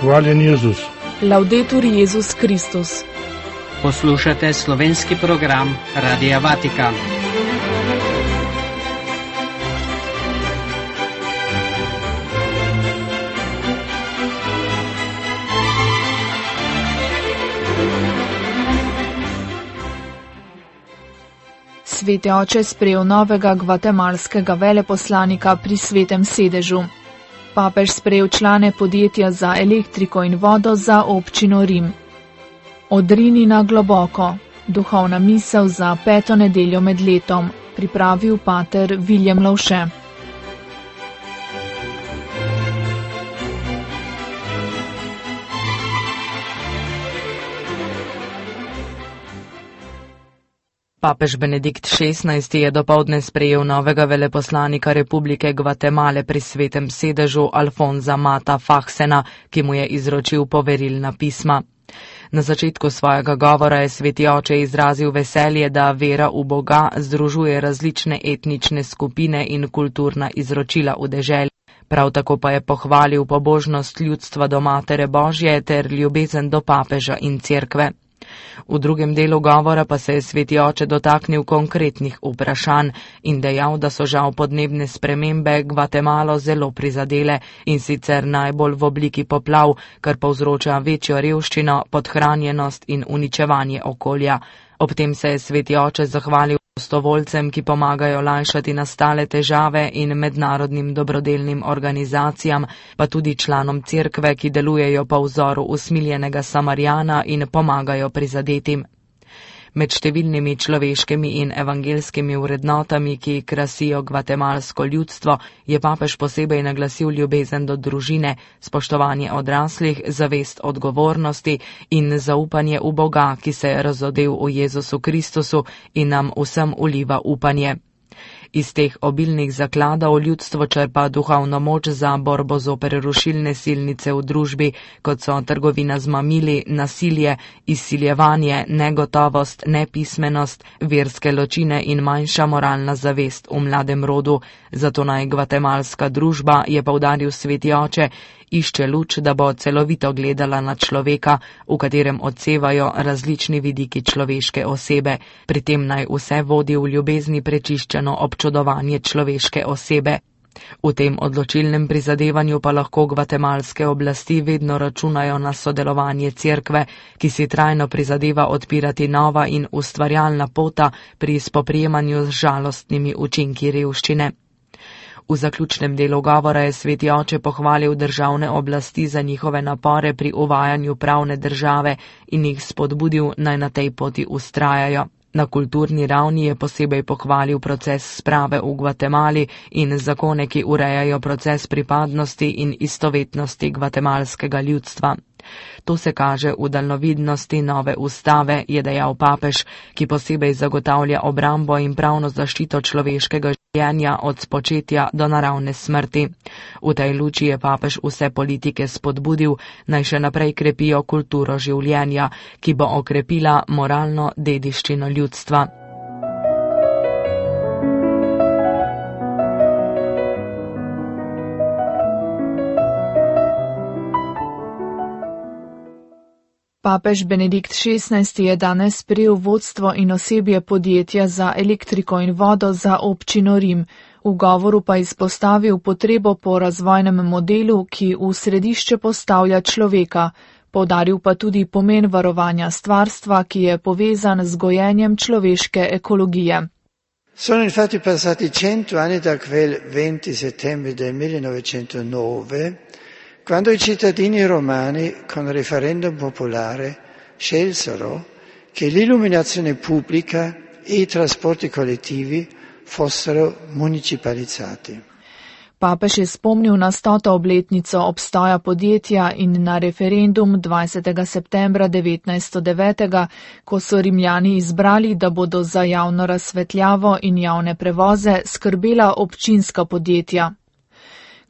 Hvaljen Jezus. Laudetur Jezus Kristus. Poslušate slovenski program Radia Vatikan. Sveti oče sprejel novega gvatemalskega veleposlanika pri Svetem sedežu. Papež sprejel člane podjetja za elektriko in vodo za občino Rim. Odrini na globoko. Duhovna misel za 5. nedeljo med letom. Pripravil pater Viljem Lovše. Papež Benedikt XVI je dopoldne sprejel novega veleposlanika Republike Gvatemale pri Svetem sedežu Alfonza Mata Fahsena, ki mu je izročil poverilna pisma. Na začetku svojega govora je sveti oče izrazil veselje, da vera v Boga združuje različne etnične skupine in kulturna izročila v deželi. Prav tako pa je pohvalil pobožnost ljudstva do Matere Božje ter ljubezen do papeža in cerkve. V drugem delu govora pa se je sveti oče dotaknil konkretnih vprašanj in dejal, da so žal podnebne spremembe Gvatemalo zelo prizadele in sicer najbolj v obliki poplav, kar povzroča večjo revščino, podhranjenost in uničevanje okolja. Ob tem se je sveti oče zahvalil prostovoljcem, ki pomagajo lajšati nastale težave in mednarodnim dobrodelnim organizacijam, pa tudi članom cerkve, ki delujejo po vzoru usmiljenega Samarijana in pomagajo prizadetim. Med številnimi človeškimi in evangelskimi vrednotami, ki krasijo gvatemalsko ljudstvo, je papež posebej naglasil ljubezen do družine, spoštovanje odraslih, zavest odgovornosti in zaupanje v Boga, ki se je razodel v Jezusu Kristusu in nam vsem vliva upanje. Iz teh obilnih zakladov ljudstvo črpa duhovno moč za borbo zoper rušilne silnice v družbi, kot so trgovina z mamili, nasilje, izsiljevanje, negotovost, nepismenost, verske ločine in manjša moralna zavest v mladem rodu. Zato naj gvatemalska družba, je poudaril sveti oče, išče luč, da bo celovito gledala na človeka, v katerem odsevajo različni vidiki človeške osebe. Pri tem naj vse vodi v ljubezni prečiščeno občudovanje človeške osebe. V tem odločilnem prizadevanju pa lahko gvatemalske oblasti vedno računajo na sodelovanje cerkve, ki si trajno prizadeva odpirati nova in ustvarjalna pota pri spoprijemanju z žalostnimi učinki revščine. V zaključnem delu govora je sveti oče pohvalil državne oblasti za njihove napore pri uvajanju pravne države in jih spodbudil, naj na tej poti vztrajajo. Na kulturni ravni je posebej pohvalil proces sprave v Gvatemali in zakone, ki urejajo proces pripadnosti in istovetnosti gvatemalskega ljudstva. To se kaže v daljnovidnosti nove ustave, je dejal papež, ki posebej zagotavlja obrambo in pravno zaščito človeškega življenja od spočetja do naravne smrti. V tej luči je papež vse politike spodbudil, naj še naprej krepijo kulturo življenja, ki bo okrepila moralno dediščino ljudstva. Papež Benedikt XVI je danes sprejel vodstvo in osebje podjetja za elektriko in vodo za občino Rim. V govoru pa izpostavil potrebo po razvojnem modelu, ki v središče postavlja človeka. Poudaril pa tudi pomen varovanja stvarstva, ki je povezan z gojenjem človeške ekologije. Sono infatti passati 100 anni da quel 20 settembre del 1909, quando i cittadini romani, con referendum popolare, scelsero che l'illuminazione pubblica e i trasporti collettivi fossero municipalizzati. Papež je spomnil na 100. obletnico obstoja podjetja in na referendum 20. septembra 1909, ko so Rimljani izbrali, da bodo za javno razsvetljavo in javne prevoze skrbela občinska podjetja.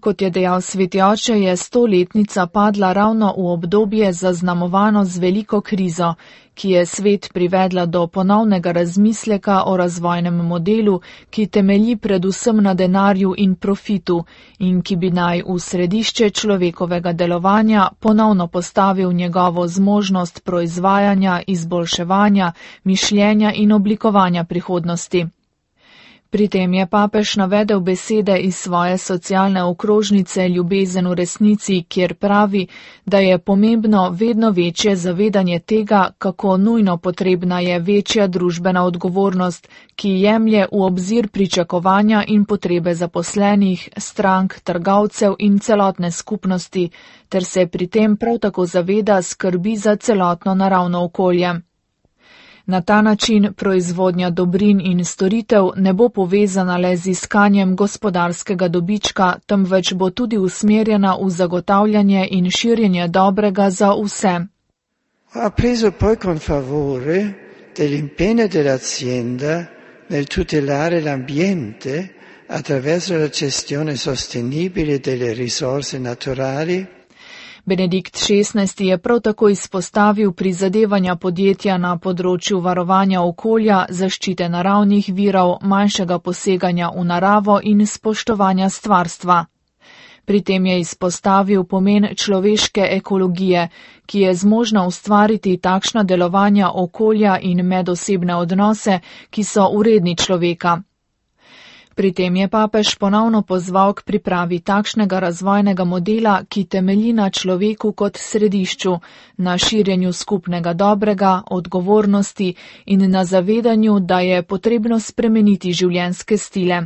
Kot je dejal sveti oče, je 100-letnica padla ravno v obdobje zaznamovano z veliko krizo, ki je svet privedla do ponovnega razmisleka o razvojnem modelu, ki temelji predvsem na denarju in profitu in ki bi naj v središče človekovega delovanja ponovno postavil njegovo zmožnost proizvajanja, izboljševanja, mišljenja in oblikovanja prihodnosti. Pri tem je papež navedel besede iz svoje socialne okrožnice Ljubezen v resnici, kjer pravi, da je pomembno vedno večje zavedanje tega, kako nujno potrebna je večja družbena odgovornost, ki jemlje v obzir pričakovanja in potrebe zaposlenih, strank, trgovcev in celotne skupnosti, ter se pri tem prav tako zaveda skrbi za celotno naravno okolje. Na ta način proizvodnja dobrin in storitev ne bo povezana le z iskanjem gospodarskega dobička, temveč bo tudi usmerjena v zagotavljanje in širjenje dobrega za vse. Ha preso poi con favore dell'impegno dell'azienda nel tutelare l'ambiente attraverso la gestione sostenibile delle risorse naturali. Benedikt XVI je prav tako izpostavil prizadevanja podjetja na področju varovanja okolja, zaščite naravnih virov, manjšega poseganja v naravo in spoštovanja stvarstva. Pri tem je izpostavil pomen človeške ekologije, ki je zmožna ustvariti takšna delovanja okolja in medosebne odnose, ki so vredni človeka. Pri tem je papež ponovno pozval k pripravi takšnega razvojnega modela, ki temelji na človeku kot središču, na širjenju skupnega dobrega, odgovornosti in na zavedanju, da je potrebno spremeniti življenjske stile.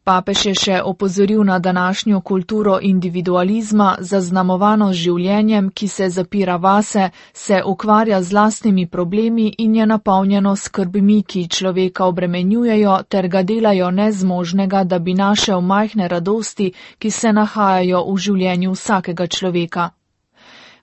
Papež je še opozoril na današnjo kulturo individualizma, zaznamovano z življenjem, ki se zapira vase, se ukvarja z lastnimi problemi in je napolnjeno skrbmi, ki človeka obremenjujejo ter ga delajo nezmožnega, da bi našel majhne radosti, ki se nahajajo v življenju vsakega človeka.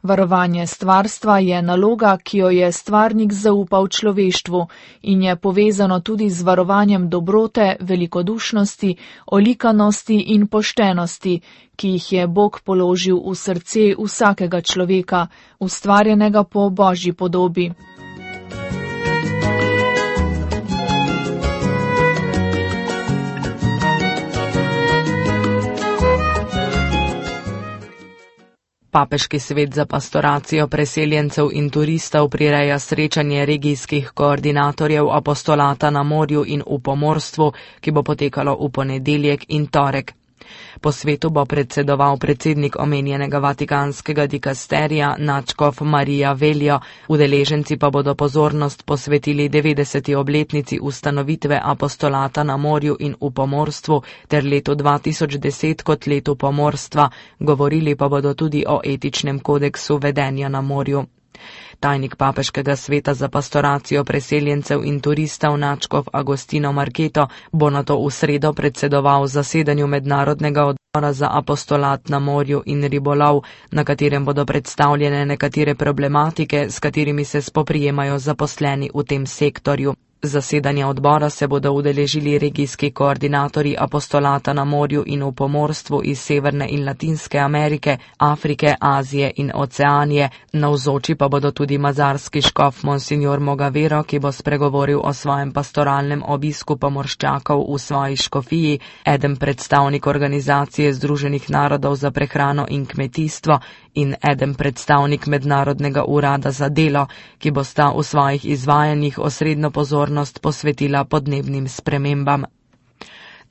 Varovanje stvarstva je naloga, ki jo je stvarnik zaupal človeštvu in je povezano tudi z varovanjem dobrote, velikodušnosti, olikanosti in poštenosti, ki jih je Bog položil v srce vsakega človeka, ustvarjenega po Božji podobi. Papeški svet za pastoracijo preseljencev in turistov prireja srečanje regijskih koordinatorjev apostolata na morju in v pomorstvu, ki bo potekalo v ponedeljek in torek. Po svetu bo predsedoval predsednik omenjenega vatikanskega dikasterija nadškof Marija Veljo, udeleženci pa bodo pozornost posvetili 90. obletnici ustanovitve apostolata na morju in v pomorstvu ter letu 2010 kot letu pomorstva, govorili pa bodo tudi o etičnem kodeksu vedenja na morju. Tajnik papeškega sveta za pastoracijo preseljencev in turistov nadškof Agostino Marketo bo nato v sredo predsedoval zasedanju mednarodnega odbora za apostolat na morju in ribolov, na katerem bodo predstavljene nekatere problematike, s katerimi se spoprijemajo zaposleni v tem sektorju. Zasedanja odbora se bodo udeležili regijski koordinatorji apostolata na morju in v pomorstvu iz Severne in Latinske Amerike, Afrike, Azije in Oceanije. Navzoči pa bodo tudi mazarski škof Monsignor Mogavero, ki bo spregovoril o svojem pastoralnem obisku pomorščakov v svoji škofiji, eden predstavnik organizacije Združenih narodov za prehrano in kmetijstvo in eden predstavnik Mednarodnega urada za delo, ki bosta v svojih izvajanjih osrednjo pozornost posvetila podnebnim spremembam.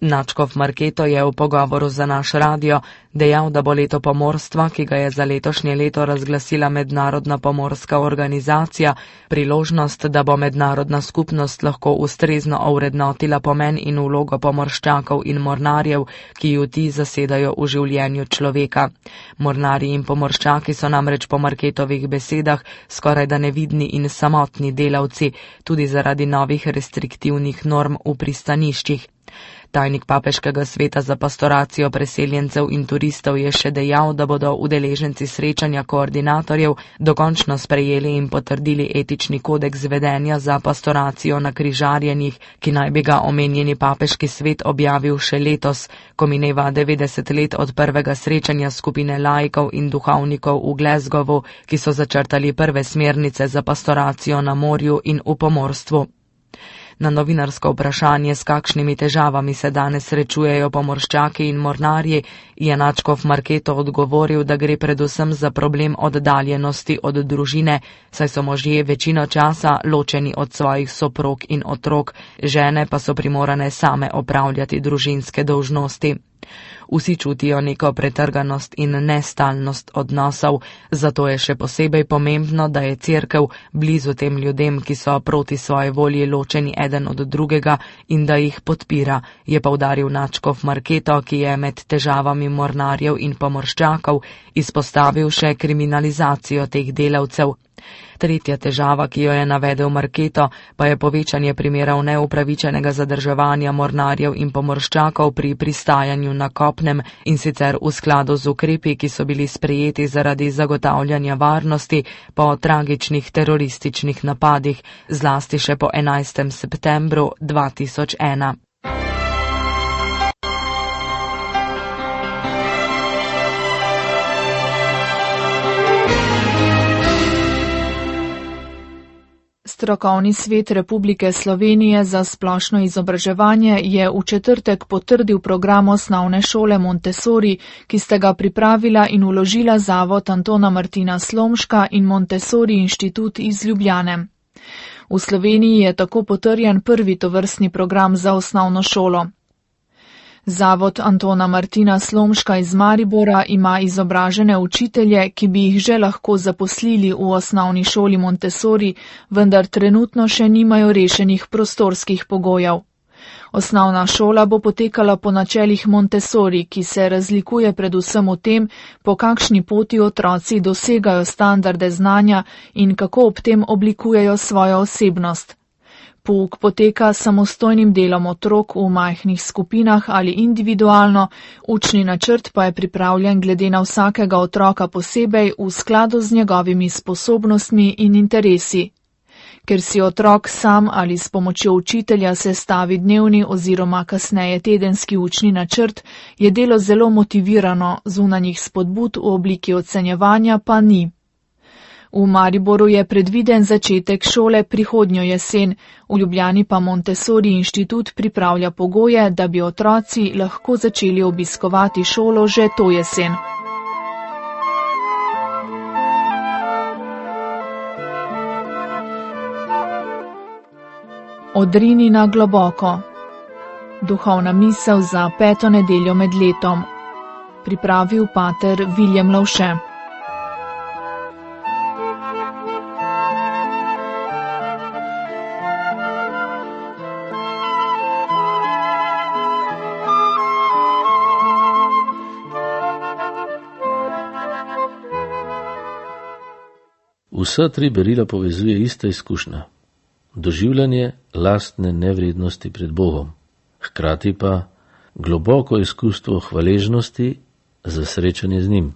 Nadškof Marketo je v pogovoru za naš radio dejal, da bo leto pomorstva, ki ga je za letošnje leto razglasila Mednarodna pomorska organizacija, priložnost, da bo mednarodna skupnost lahko ustrezno ovrednotila pomen in vlogo pomorščakov in mornarjev, ki ju ti zasedajo v življenju človeka. Mornarji in pomorščaki so namreč po Marketovih besedah skorajda nevidni in samotni delavci, tudi zaradi novih restriktivnih norm v pristaniščih. Tajnik papeškega sveta za pastoracijo preseljencev in turistov je še dejal, da bodo udeleženci srečanja koordinatorjev dokončno sprejeli in potrdili etični kodeks vedenja za pastoracijo na Križarjenjih, ki naj bi ga omenjeni papeški svet objavil še letos, ko mineva 90 let od prvega srečanja skupine laikov in duhovnikov v Glasgowu, ki so začrtali prve smernice za pastoracijo na morju in v pomorstvu. Na novinarsko vprašanje, s kakšnimi težavami se danes srečujejo pomorščaki in mornarji, je nadškof Marketo odgovoril, da gre predvsem za problem oddaljenosti od družine, saj so možje večino časa ločeni od svojih soprog in otrok, žene pa so primorane same opravljati družinske dolžnosti. Vsi čutijo neko pretrganost in nestalnost odnosov, zato je še posebej pomembno, da je Cerkev blizu tem ljudem, ki so proti svoji volji ločeni eden od drugega, in da jih podpira, je poudaril nadškof Marketo, ki je med težavami mornarjev in pomorščakov izpostavil še kriminalizacijo teh delavcev. Tretja težava, ki jo je navedel Marketo, pa je povečanje primerov neupravičenega zadrževanja mornarjev in pomorščakov pri pristajanju na kopnem, in sicer v skladu z ukrepi, ki so bili sprejeti zaradi zagotavljanja varnosti po tragičnih terorističnih napadih, zlasti še po 11. septembru 2001. Strokovni svet Republike Slovenije za splošno izobraževanje je v četrtek potrdil program osnovne šole Montessori, ki sta ga pripravila in vložila Zavod Antona Martina Slomška in Montessori inštitut iz Ljubljane. V Sloveniji je tako potrjen prvi tovrstni program za osnovno šolo. Zavod Antona Martina Slomška iz Maribora ima izobražene učitelje, ki bi jih že lahko zaposlili v osnovni šoli Montessori, vendar trenutno še nimajo rešenih prostorskih pogojev. Osnovna šola bo potekala po načelih Montessori, ki se razlikuje predvsem v tem, po kakšni poti otroci dosegajo standarde znanja in kako ob tem oblikujejo svojo osebnost. Pouk poteka samostojnim delom otrok v majhnih skupinah ali individualno, učni načrt pa je pripravljen glede na vsakega otroka posebej v skladu z njegovimi sposobnostmi in interesi. Ker si otrok sam ali s pomočjo učitelja sestavi dnevni oziroma kasneje tedenski učni načrt, je delo zelo motivirano, zunanjih spodbud v obliki ocenjevanja pa ni. V Mariboru je predviden začetek šole prihodnjo jesen, v Ljubljani pa Montessori inštitut pripravlja pogoje, da bi otroci lahko začeli obiskovati šolo že to jesen. Odrini na globoko. Duhovna misel za 5. nedeljo med letom. Pripravil pater Viljem Lovše. Vsa tri berila povezuje ista izkušnja. Doživljanje lastne nevrednosti pred Bogom, hkrati pa globoko izkustvo hvaležnosti za srečanje z njim.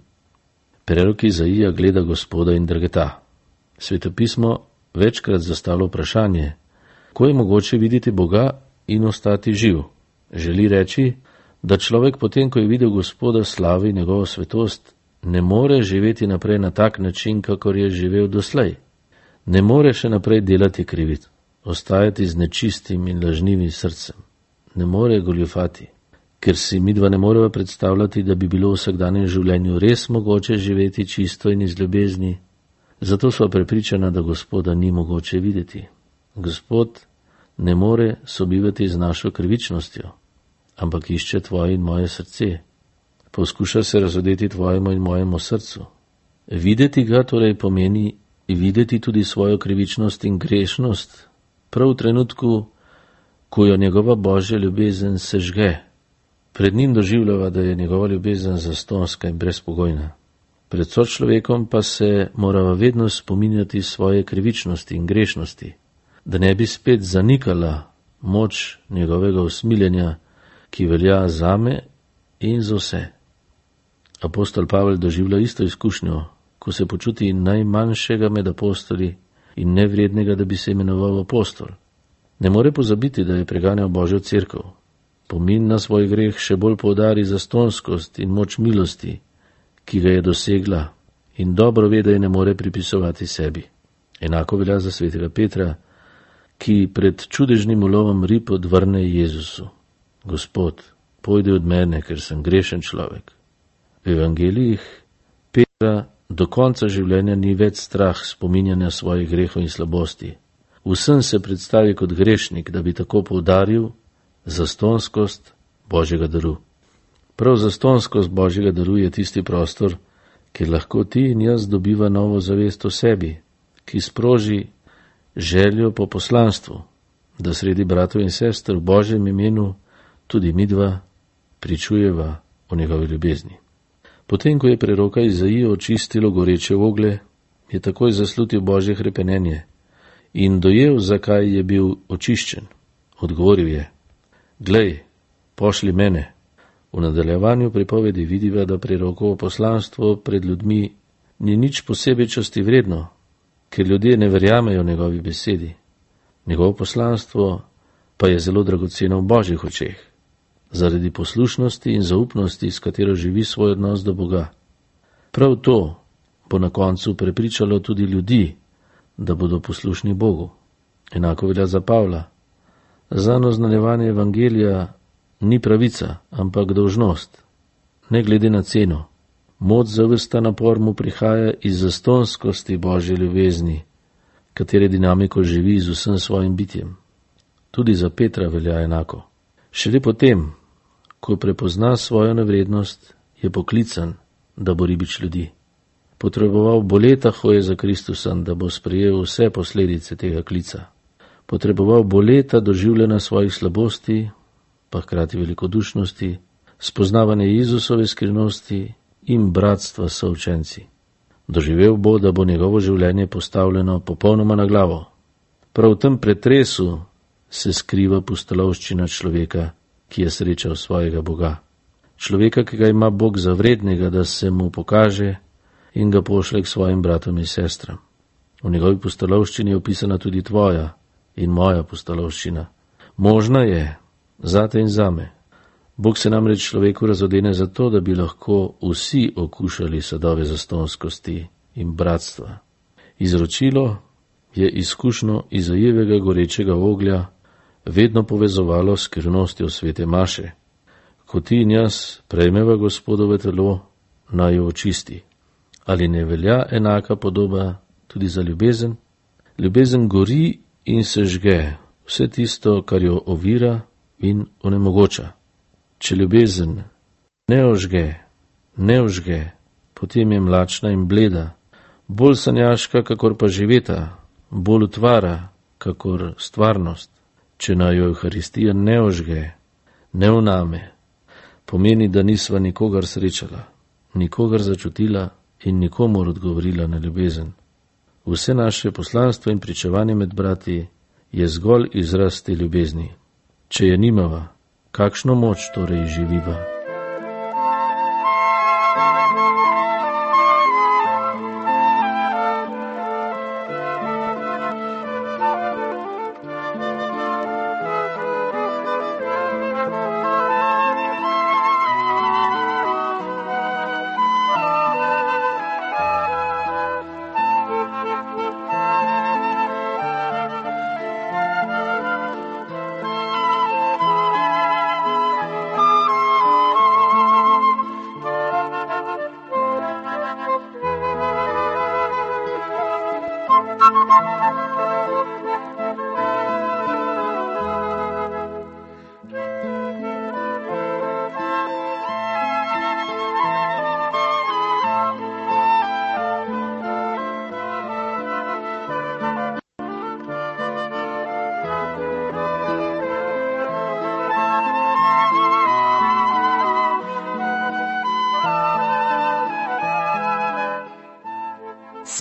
Prerok Izaija gleda Gospoda in drgeta. Svetopismo večkrat zastavlja vprašanje, ko je mogoče videti Boga in ostati živ. Želi reči, da človek potem, ko je videl Gospoda, slavi njegovo svetost, ne more živeti naprej na tak način, kakor je živel doslej. Ne more še naprej delati krivic, ostajati z nečistim in lažnivim srcem. Ne more goljufati, ker si midva ne moreva predstavljati, da bi bilo v vsakdanjem življenju res mogoče živeti čisto in iz ljubezni. Zato sva prepričana, da Gospoda ni mogoče videti. Gospod ne more sobivati z našo krivičnostjo, ampak išče tvoje in moje srce. Poskuša se razodeti tvojemu in mojemu srcu. Videti ga torej pomeni videti tudi svojo krivičnost in grešnost, prav v trenutku, ko jo njegova Božja ljubezen sežge. Pred njim doživljava, da je njegova ljubezen zastonska in brezpogojna. Pred sočlovekom pa se morava vedno spominjati svoje krivičnosti in grešnosti, da ne bi spet zanikala moč njegovega usmiljenja, ki velja zame in za vse. Apostol Pavel doživlja isto izkušnjo, ko se počuti najmanjšega med apostoli in nevrednega, da bi se imenoval apostol. Ne more pozabiti, da je preganjal Božjo cerkev. Pomin na svoj greh še bolj poudari zastonskost in moč milosti, ki ga je dosegla, in dobro ve, da je ne more pripisovati sebi. Enako velja za svetega Petra, ki pred čudežnim ulovom rib odvrne Jezusu: Gospod, pojdi od mene, ker sem grešen človek. V evangelijih Petra do konca življenja ni več strah spominjanja svojih grehov in slabosti. Vsem se predstavi kot grešnik, da bi tako poudaril zastonskost Božjega daru. Prav zastonskost Božjega daru je tisti prostor, kjer lahko ti in jaz dobiva novo zavest o sebi, ki sproži željo po poslanstvu, da sredi bratov in sester v Božjem imenu tudi midva pričujeva o njegovi ljubezni. Potem, ko je preroka Izaijo očistilo goreče oglje, je takoj zaslutil Božje hrepenenje in dojel, zakaj je bil očiščen. Odgovoril je: Glej, pošli mene. V nadaljevanju pripovedi vidiva, da prerokovo poslanstvo pred ljudmi ni nič posebej časti vredno, ker ljudje ne verjamejo njegovi besedi. Njegovo poslanstvo pa je zelo dragoceno v Božjih očeh, zaradi poslušnosti in zaupnosti, s katero živi svoj odnos do Boga. Prav to bo na koncu prepričalo tudi ljudi, da bodo poslušni Bogu. Enako velja za Pavla. Zanj oznanjevanje evangelija ni pravica, ampak dolžnost, ne glede na ceno. Moč za ves ta napor mu prihaja iz zastonskosti Božje ljubezni, katere dinamiko živi z vsem svojim bitjem. Tudi za Petra velja enako. Šele potem, ko prepozna svojo nevrednost, je poklican, da bo ribič ljudi. Potreboval bo leta hoje za Kristusom, da bo sprejel vse posledice tega klica. Potreboval bo leta doživljena svojih slabosti, pa hkrati velikodušnosti, spoznavanje Jezusove skrivnosti in bratstva s součenci. Doživel bo, da bo njegovo življenje postavljeno popolnoma na glavo. Prav v tem pretresu se skriva pustolovščina človeka, ki je srečal svojega Boga. Človeka, ki ga ima Bog za vrednega, da se mu pokaže in ga pošle k svojim bratom in sestram. V njegovi pustolovščini je opisana tudi tvoja in moja pustolovščina. Možna je, zate in zame. Bog se namreč človeku razodene zato, da bi lahko vsi okušali sadove zastonskosti in bratstva. Izročilo je izkušnjo Izajevega gorečega oglja vedno povezovalo s skrivnostjo svete maše. Ko ti in jaz prejmeva Gospodove telo, naj jo očisti. Ali ne velja enaka podoba tudi za ljubezen? Ljubezen gori in se žge vse tisto, kar jo ovira in onemogoča. Če ljubezen ne ožge, potem je mlačna in bleda, bolj sanjaška, kakor pa živeta, bolj utvara, kakor stvarnost. Če naj jo Evharistija ne ožge, ne vname, pomeni, da nisva nikogar srečala, nikogar začutila in nikomor odgovorila na ljubezen. Vse naše poslanstvo in pričevanje med brati je zgolj izraz te ljubezni. Če je nimava, kakšno moč torej živiva?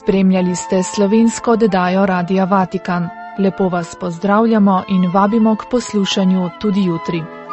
Spremljali ste slovensko oddajo Radia Vatikan. Lepo vas pozdravljamo in vabimo k poslušanju tudi jutri.